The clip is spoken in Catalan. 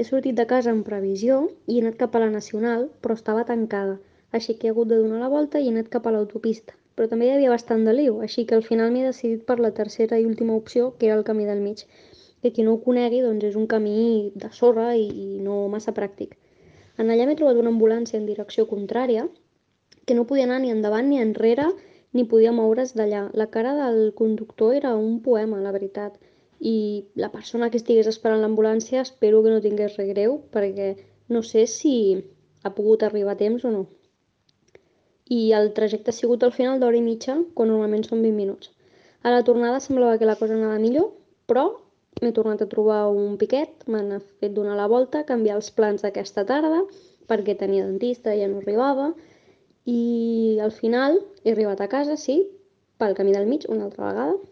He sortit de casa en previsió i he anat cap a la Nacional, però estava tancada, així que he hagut de donar la volta i he anat cap a l'autopista. Però també hi havia bastant de liu, així que al final m'he decidit per la tercera i última opció, que era el camí del mig, que qui no ho conegui doncs és un camí de sorra i no massa pràctic. En allà m'he trobat una ambulància en direcció contrària, que no podia anar ni endavant ni enrere, ni podia moure's d'allà. La cara del conductor era un poema, la veritat. I la persona que estigués esperant l'ambulància espero que no tingués res greu, perquè no sé si ha pogut arribar a temps o no. I el trajecte ha sigut al final d'hora i mitja, quan normalment són 20 minuts. A la tornada semblava que la cosa anava millor, però m'he tornat a trobar un piquet, m'han fet donar la volta, canviar els plans d'aquesta tarda, perquè tenia dentista i ja no arribava, i al final he arribat a casa, sí, pel camí del mig una altra vegada,